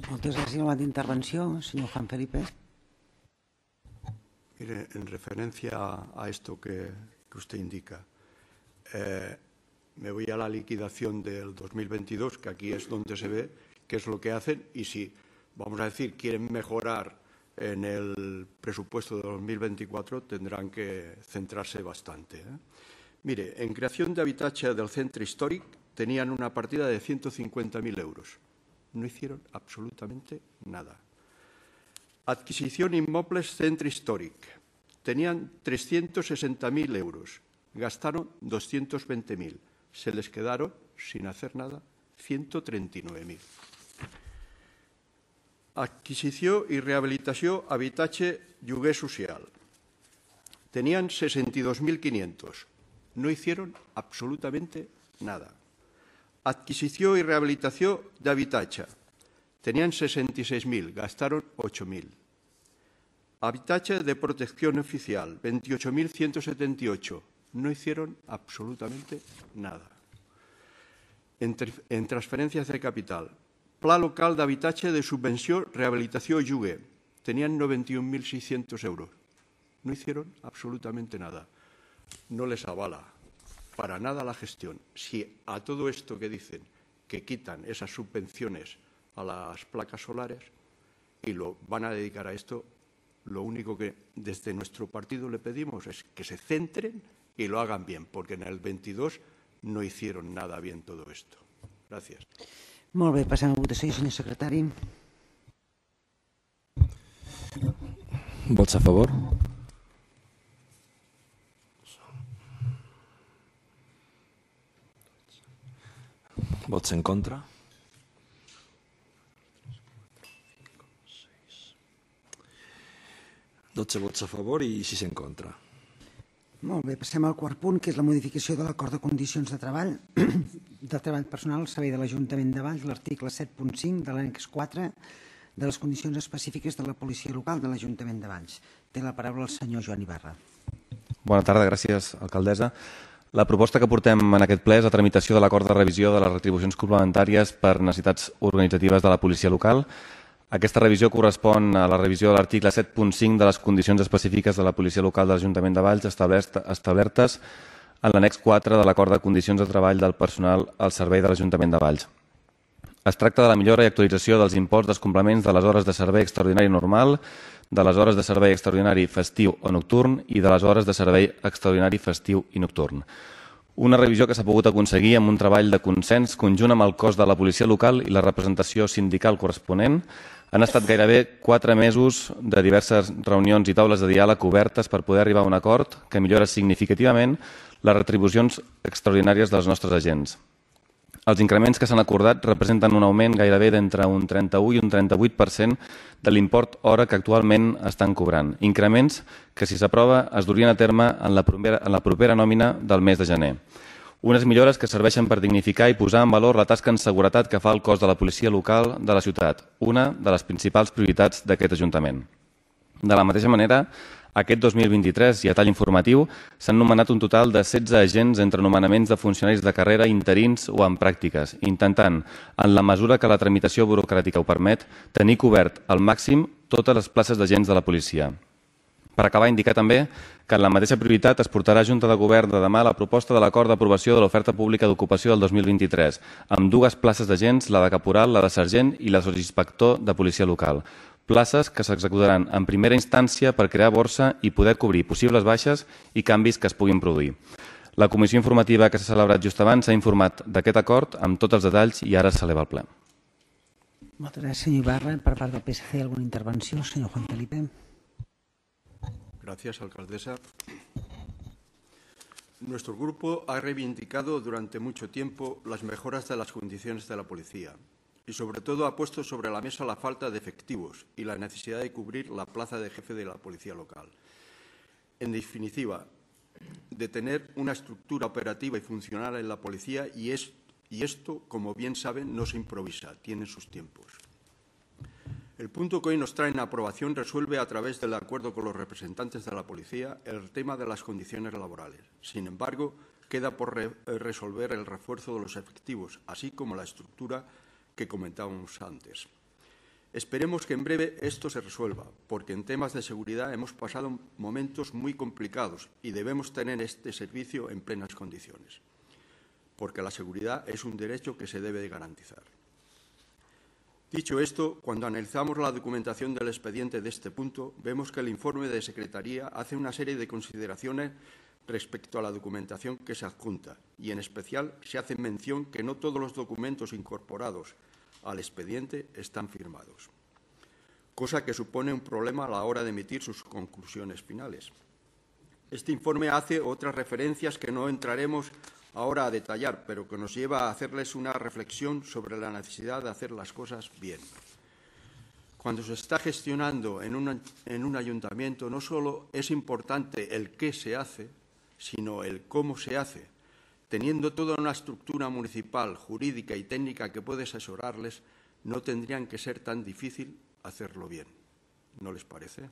Moltes gràcies. Una intervenció, señor Juan Felipe. Mire, en referencia a esto que, que usted indica, eh, me voy a la liquidación del dos mil veintidós, que aquí es donde se ve qué es lo que hacen y si, vamos a decir, quieren mejorar en el presupuesto de dos mil veinticuatro, tendrán que centrarse bastante, ¿eh? Mire, en creación de habitatge del centre històric tenían una partida de ciento cincuenta mil euros. No hicieron absolutamente nada. Adquisición inmuebles centre històric. Tenían trescientos sesenta mil euros. Gastaron doscientos veinte mil. Se les quedaron, sin hacer nada, ciento treinta y nueve mil. Adquisició i rehabilitació habitatge lloguer social. Tenían sesenta y dos mil quinientos. No hicieron absolutamente nada. Adquisició y rehabilitación de habitatge. Tenían sesenta y seis mil, gastaron ocho mil. Habitatge de protección oficial, veintiocho mil ciento setenta y ocho. No hicieron absolutamente nada. En, en transferencias de capital. Pla local de habitatge de subvenció, rehabilitació i lloguer. Tenían noventa y un mil seiscientos euros. No hicieron absolutamente nada. No les avala para nada la gestión. Si a todo esto que dicen que quitan esas subvenciones a las placas solares y lo van a dedicar a esto, lo único que desde nuestro partido le pedimos es que se centren y lo hagan bien, porque en el veintidós no hicieron nada bien todo esto. Gracias. Molt bé, passem a votació, senyor secretari. Vots a favor? Vots en contra? dotze vots a favor i sis en contra. Molt bé, passem al quart punt, que és la modificació de l'acord de condicions de treball de treball personal al servei de l'Ajuntament de Valls, l'article set punt cinc de l'annex quatre de les condicions específiques de la policia local de l'Ajuntament de Valls. Té la paraula el senyor Joan Ibarra. Bona tarda, gràcies, alcaldessa. La proposta que portem en aquest ple és la tramitació de l'acord de revisió de les retribucions complementàries per necessitats organitzatives de la policia local. Aquesta revisió correspon a la revisió de l'article set punt cinc de les condicions específiques de la policia local de l'Ajuntament de Valls establertes en l'annex quatre de l'acord de condicions de treball del personal al servei de l'Ajuntament de Valls. Es tracta de la millora i actualització dels imports dels complements de les hores de servei extraordinari normal, de les hores de servei extraordinari festiu o nocturn i de les hores de servei extraordinari festiu i nocturn. Una revisió que s'ha pogut aconseguir amb un treball de consens conjunt amb el cos de la policia local i la representació sindical corresponent. Han estat gairebé quatre mesos de diverses reunions i taules de diàleg obertes per poder arribar a un acord que millora significativament les retribucions extraordinàries dels nostres agents. Els increments que s'han acordat representen un augment gairebé d'entre un trenta-u i un trenta-vuit per cent de l'import hora que actualment estan cobrant. Increments que, si s'aprova, es durien a terme en la propera, en la propera nòmina del mes de gener. Unes millores que serveixen per dignificar i posar en valor la tasca en seguretat que fa el cos de la policia local de la ciutat, una de les principals prioritats d'aquest Ajuntament. De la mateixa manera, aquest dos mil vint-i-tres i a tall informatiu s'han nomenat un total de setze agents entre nomenaments de funcionaris de carrera interins o en pràctiques, intentant, en la mesura que la tramitació burocràtica ho permet, tenir cobert al màxim totes les places d'agents de la policia. Per acabar, indicar també que en la mateixa prioritat es portarà a Junta de Govern de demà la proposta de l'acord d'aprovació de l'oferta pública d'ocupació del dos mil vint-i-tres, amb dues places d'agents, la de caporal, la de sergent i la de sotsinspector de policia local. Places que s'executaran en primera instància per crear borsa i poder cobrir possibles baixes i canvis que es puguin produir. La comissió informativa que s'ha celebrat just abans s'ha informat d'aquest acord amb tots els detalls i ara s'eleva al ple. Moltes gràcies, senyor Ibarra. Per part del P S C, alguna intervenció? Senyor Juan Felipe. Gracias, alcaldesa. Nuestro grupo ha reivindicado durante mucho tiempo las mejoras de las condiciones de la policía y, sobre todo, ha puesto sobre la mesa la falta de efectivos y la necesidad de cubrir la plaza de jefe de la policía local. En definitiva, de tener una estructura operativa y funcional en la policía y, es, y esto, como bien saben, no se improvisa, tiene sus tiempos. El punto que hoy nos trae en aprobación resuelve a través del acuerdo con los representantes de la policía el tema de las condiciones laborales. Sin embargo, queda por re resolver el refuerzo de los efectivos, así como la estructura que comentábamos antes. Esperemos que en breve esto se resuelva, porque en temas de seguridad hemos pasado momentos muy complicados y debemos tener este servicio en plenas condiciones, porque la seguridad es un derecho que se debe de garantizar. Dicho esto, cuando analizamos la documentación del expediente de este punto, vemos que el informe de Secretaría hace una serie de consideraciones respecto a la documentación que se adjunta y, en especial, se hace mención que no todos los documentos incorporados al expediente están firmados, cosa que supone un problema a la hora de emitir sus conclusiones finales. Este informe hace otras referencias que no entraremos ahora a detallar, pero que nos lleva a hacerles una reflexión sobre la necesidad de hacer las cosas bien. Cuando se está gestionando en un, en un ayuntamiento, no solo es importante el qué se hace, sino el cómo se hace. Teniendo toda una estructura municipal, jurídica y técnica que puede asesorarles, no tendrían que ser tan difícil hacerlo bien. ¿No les parece?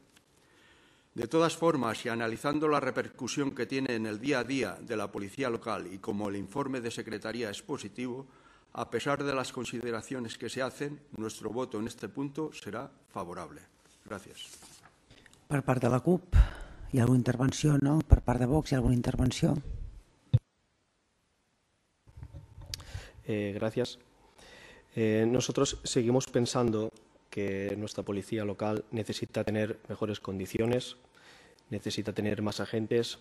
De todas formas, y analizando la repercusión que tiene en el día a día de la policía local y como el informe de Secretaría es positivo, a pesar de las consideraciones que se hacen, nuestro voto en este punto será favorable. Gràcies. Per part de la CUP, hi ha alguna intervenció? No? Per part de Vox, hi ha alguna intervenció? Eh, gracias. Eh, nosotros seguimos pensando que nuestra policía local necesita tener mejores condiciones, necesita tener más agentes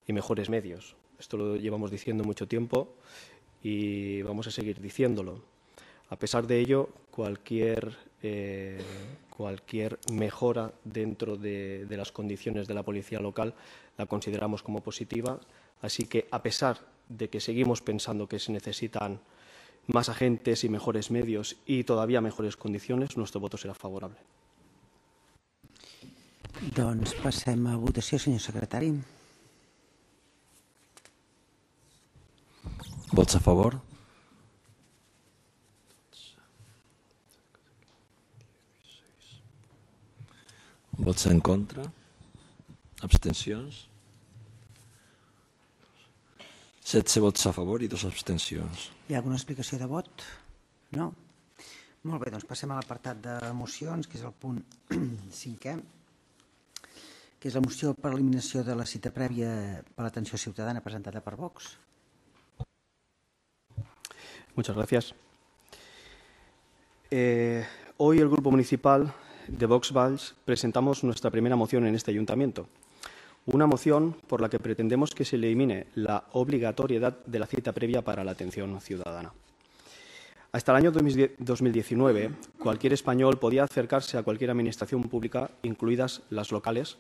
y mejores medios. Esto lo llevamos diciendo mucho tiempo y vamos a seguir diciéndolo. A pesar de ello, cualquier, eh, cualquier mejora dentro de, de las condiciones de la policía local la consideramos como positiva. Así que, a pesar de que seguimos pensando que se necesitan más agentes y mejores medios y todavía mejores condiciones, nuestro voto será favorable. Doncs passem a votació, senyor secretari. Vots a favor? Vots en contra? Abstencions? setze vots a favor i dues abstencions. Hi ha alguna explicació de vot? No? Molt bé, doncs passem a l'apartat de mocions, que és el punt cinquè, que és la moció per eliminació de la cita prèvia per l'atenció ciutadana presentada per Vox. Muchas gracias. Eh, hoy el Grupo Municipal de Vox Valls presentamos nuestra primera moción en este ayuntamiento. Una moción por la que pretendemos que se elimine la obligatoriedad de la cita previa para la atención ciudadana. Hasta el año dos mil diecinueve, cualquier español podía acercarse a cualquier administración pública, incluidas las locales,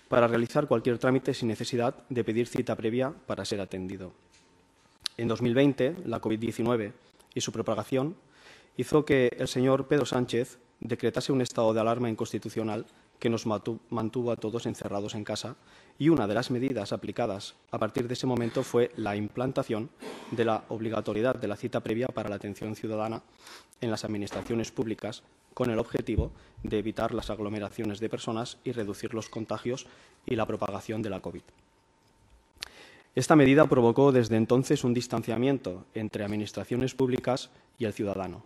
para realizar cualquier trámite sin necesidad de pedir cita previa para ser atendido. En dos mil veinte, la COVID diecinueve y su propagación hizo que el señor Pedro Sánchez decretase un estado de alarma inconstitucional que nos mantuvo a todos encerrados en casa, y una de las medidas aplicadas a partir de ese momento fue la implantación de la obligatoriedad de la cita previa para la atención ciudadana en las administraciones públicas, con el objetivo de evitar las aglomeraciones de personas y reducir los contagios y la propagación de la COVID. Esta medida provocó desde entonces un distanciamiento entre administraciones públicas y el ciudadano,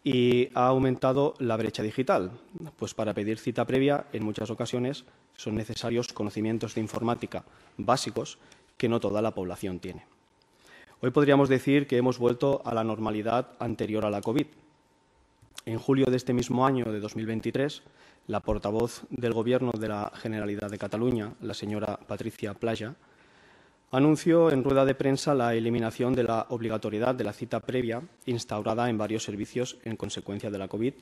y ha aumentado la brecha digital, pues para pedir cita previa en muchas ocasiones son necesarios conocimientos de informática básicos que no toda la población tiene. Hoy podríamos decir que hemos vuelto a la normalidad anterior a la COVID. En julio de este mismo año, de dos mil veintitrés, la portavoz del Gobierno de la Generalitat de Cataluña, la señora Patricia Plaja, anunció en rueda de prensa la eliminación de la obligatoriedad de la cita previa instaurada en varios servicios en consecuencia de la COVID,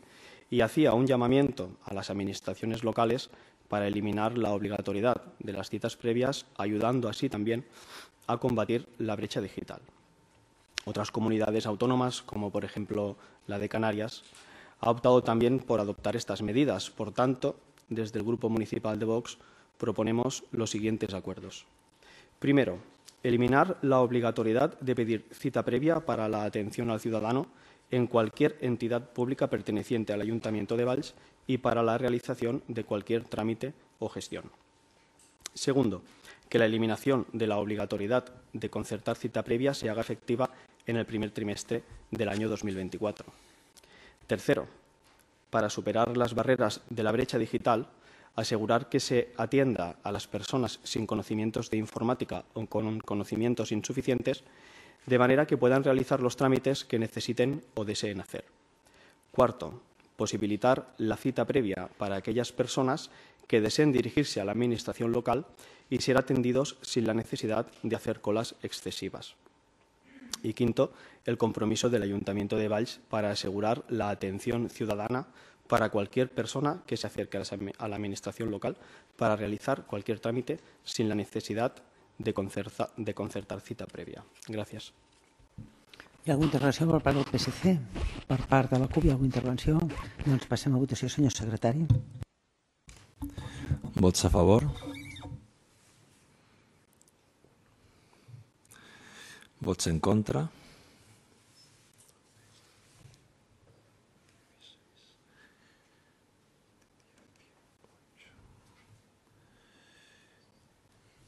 y hacía un llamamiento a las administraciones locales para eliminar la obligatoriedad de las citas previas, ayudando así también a combatir la brecha digital. Otras comunidades autónomas, como por ejemplo la de Canarias, ha optado también por adoptar estas medidas. Por tanto, desde el Grupo Municipal de Vox proponemos los siguientes acuerdos. Primero, eliminar la obligatoriedad de pedir cita previa para la atención al ciudadano en cualquier entidad pública perteneciente al Ayuntamiento de Valls y para la realización de cualquier trámite o gestión. Segundo, que la eliminación de la obligatoriedad de concertar cita previa se haga efectiva en el primer trimestre del año dos mil veinticuatro. Tercero, para superar las barreras de la brecha digital, asegurar que se atienda a las personas sin conocimientos de informática o con conocimientos insuficientes, de manera que puedan realizar los trámites que necesiten o deseen hacer. Cuarto, posibilitar la cita previa para aquellas personas que deseen dirigirse a la Administración local y ser atendidos sin la necesidad de hacer colas excesivas. Y quinto, el compromiso del Ayuntamiento de Valls para asegurar la atención ciudadana para cualquier persona que se acerque a la Administración local para realizar cualquier trámite sin la necesidad de concertar, de concertar cita prèvia. Gràcies. Hi ha alguna intervenció per part del P S C? Per part de la CUP hi ha alguna intervenció? Doncs passem a votació, senyor secretari. Vots a favor? Vots en contra?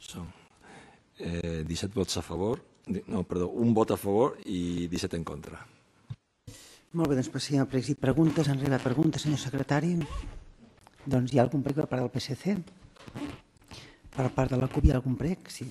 Són eh, disset vots a favor, no, perdó, un vot a favor i disset en contra. Molt bé, doncs passem a pregs i preguntes. Enrere preguntes, senyor secretari. Doncs hi ha algun prec per part del P S C? Per part de la CUP hi ha algun prec? Sí.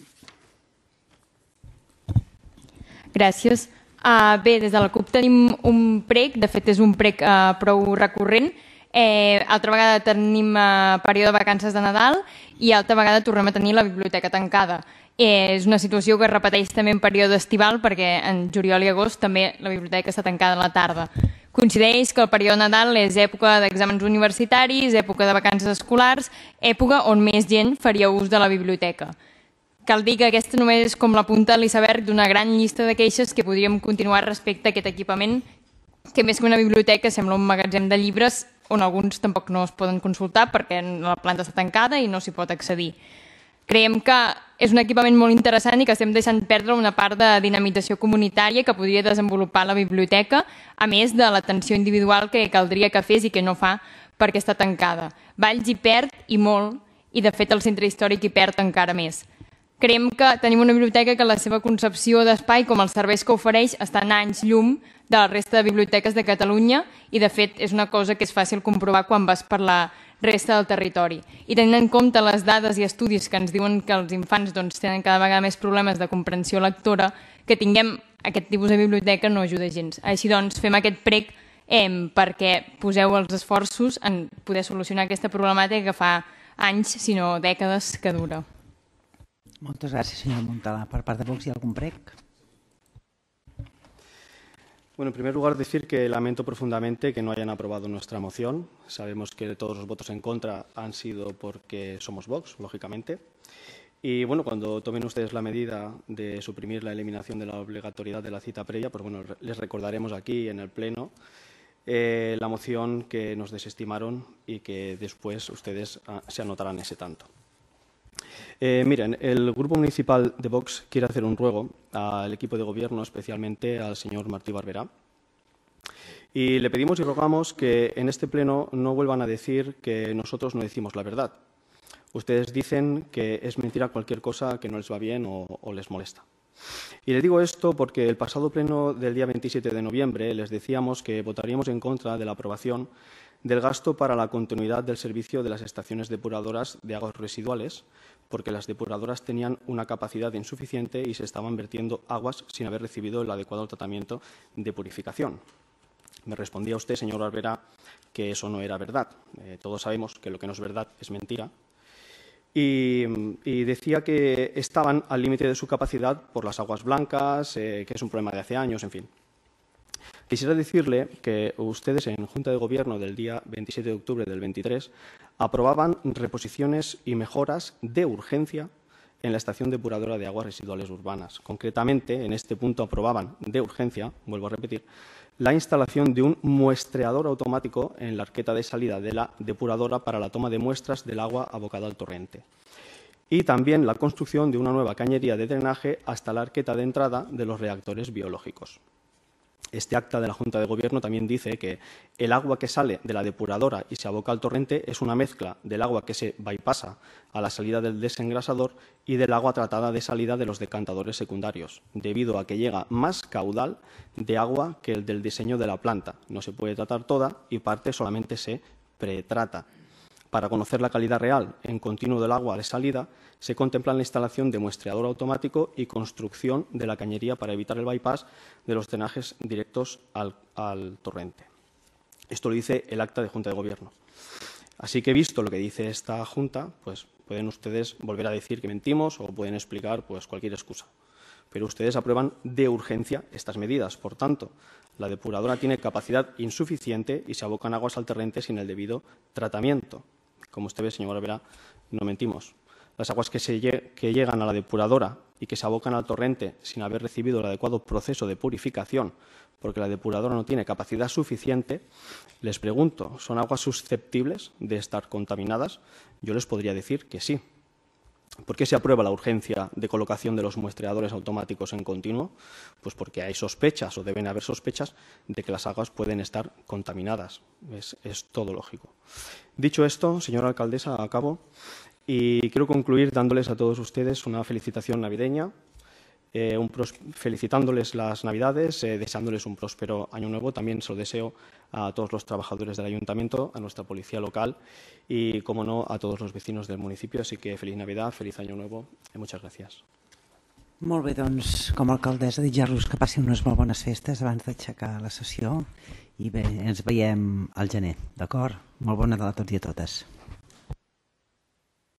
Gràcies. Uh, bé, des de la CUP tenim un prec, de fet és un prec uh, prou recurrent. Eh, altra vegada tenim uh, període de vacances de Nadal i altra vegada tornem a tenir la biblioteca tancada. Eh, és una situació que es repeteix també en període estival perquè en juliol i agost també la biblioteca està tancada a la tarda. Coincideix que el període de Nadal és època d'exàmens universitaris, època de vacances escolars, època on més gent faria ús de la biblioteca. Cal dir que aquesta només és com la punta de l'iceberg d'una gran llista de queixes que podríem continuar respecte a aquest equipament, que més que una biblioteca sembla un magatzem de llibres on alguns tampoc no es poden consultar perquè la planta està tancada i no s'hi pot accedir. Creiem que és un equipament molt interessant i que estem deixant perdre una part de dinamització comunitària que podria desenvolupar la biblioteca, a més de l'atenció individual que caldria que fes i que no fa perquè està tancada. Valls hi perd i molt, i de fet el centre històric hi perd encara més. Creiem que tenim una biblioteca que la seva concepció d'espai, com els serveis que ofereix, estan a anys llum de la resta de biblioteques de Catalunya i, de fet, és una cosa que és fàcil comprovar quan vas per la resta del territori. I tenint en compte les dades i estudis que ens diuen que els infants doncs, tenen cada vegada més problemes de comprensió lectora, que tinguem aquest tipus de biblioteca no ajuda gens. Així doncs, fem aquest prec eh, perquè poseu els esforços en poder solucionar aquesta problemàtica que fa anys, si no dècades, que dura. Moltes gràcies, senyora Montalà. Per part de Vox, ¿hi ha algún prec? Bueno, en primer lugar, decir que lamento profundamente que no hayan aprobado nuestra moción. Sabemos que todos los votos en contra han sido porque somos Vox, lógicamente. Y bueno, cuando tomen ustedes la medida de suprimir la eliminación de la obligatoriedad de la cita previa, pues bueno, les recordaremos aquí en el Pleno eh, la moción que nos desestimaron y que después ustedes ah, se anotarán ese tanto. Eh, miren, el Grupo Municipal de Vox quiere hacer un ruego al equipo de gobierno, especialmente al señor Martí Barberá, y le pedimos y rogamos que en este pleno no vuelvan a decir que nosotros no decimos la verdad. Ustedes dicen que es mentira cualquier cosa que no les va bien o, o les molesta. Y les digo esto porque el pasado pleno del día veintisiete de noviembre les decíamos que votaríamos en contra de la aprobación del gasto para la continuidad del servicio de las estaciones depuradoras de aguas residuales, porque las depuradoras tenían una capacidad insuficiente y se estaban vertiendo aguas sin haber recibido el adecuado tratamiento de purificación. Me respondía usted, señor Barberá, que eso no era verdad. Eh, todos sabemos que lo que no es verdad es mentira. Y, y decía que estaban al límite de su capacidad por las aguas blancas, eh, que es un problema de hace años, en fin. Quisiera decirle que ustedes en Junta de Gobierno del día veintisiete de octubre del veintitrés aprobaban reposiciones y mejoras de urgencia en la estación depuradora de aguas residuales urbanas. Concretamente, en este punto aprobaban de urgencia, vuelvo a repetir, la instalación de un muestreador automático en la arqueta de salida de la depuradora para la toma de muestras del agua abocada al torrente. Y también la construcción de una nueva cañería de drenaje hasta la arqueta de entrada de los reactores biológicos. Este acta de la Junta de Gobierno también dice que el agua que sale de la depuradora y se aboca al torrente es una mezcla del agua que se bypassa a la salida del desengrasador y del agua tratada de salida de los decantadores secundarios, debido a que llega más caudal de agua que el del diseño de la planta. No se puede tratar toda y parte solamente se pretrata. Para conocer la calidad real en continuo del agua de salida, se contempla la instalación de muestreador automático y construcción de la cañería para evitar el bypass de los drenajes directos al, al torrente. Esto lo dice el acta de Junta de Gobierno. Así que, visto lo que dice esta Junta, pues pueden ustedes volver a decir que mentimos o pueden explicar pues, cualquier excusa. Pero ustedes aprueban de urgencia estas medidas. Por tanto, la depuradora tiene capacidad insuficiente y se abocan aguas al torrente sin el debido tratamiento. Como usted ve, señor Barberá, no mentimos. Las aguas que, se lle que llegan a la depuradora y que se abocan al torrente sin haber recibido el adecuado proceso de purificación, porque la depuradora no tiene capacidad suficiente, les pregunto, ¿son aguas susceptibles de estar contaminadas? Yo les podría decir que sí. ¿Por qué se aprueba la urgencia de colocación de los muestreadores automáticos en continuo? Pues porque hay sospechas o deben haber sospechas de que las aguas pueden estar contaminadas. Es, es todo lógico. Dicho esto, señora alcaldesa, acabo y quiero concluir dándoles a todos ustedes una felicitación navideña, eh, un felicitándoles las Navidades, eh, deseándoles un próspero año nuevo. También se lo deseo a todos los trabajadores del Ayuntamiento, a nuestra policía local y, como no, a todos los vecinos del municipio. Así que feliz Navidad, feliz año nuevo y muchas gracias. Molt bé, doncs, com a alcaldessa, desitjar-los que passin unes molt bones festes abans d'aixecar la sessió i bé, ens veiem al gener, d'acord? Molt bon Nadal a tots i a totes.